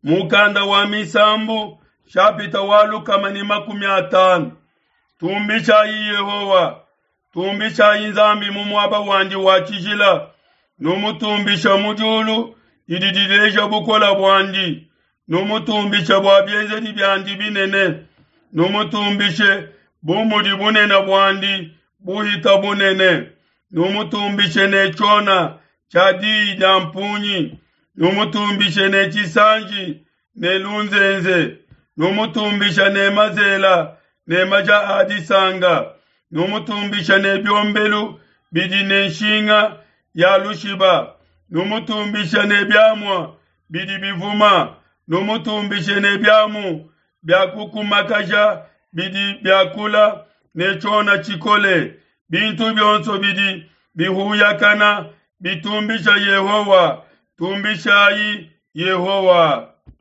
Mukanda wa Misambu shapita wa 150. Tumbishayi Yehowa, tumbishayi Nzambi mu muaba wandi wa tshijila, numutumbisha mu diulu didi dileja bukole buandi, numutumbishe bua bienzedi biandi binene, numutumbishe bu mudi bunene buandi buhita bunene, numutumbishe ne tshiona tshia diyi dia mpungi, numutumbishe ne tshisanji ne lunzenze, numutumbishe ne mazela ne maja a disanka, numutumbishe ne biombelu bidi ne nshinga ya lushiba, numutumbishe ne biamua bidi bivuma, numutumbishe ne biamu bia kukumakaja bidi biakula ne tshiona tshikole. Bintu bionso bidi bihuyakana bitumbisha Yehowa. Tumbishayi Yehowa.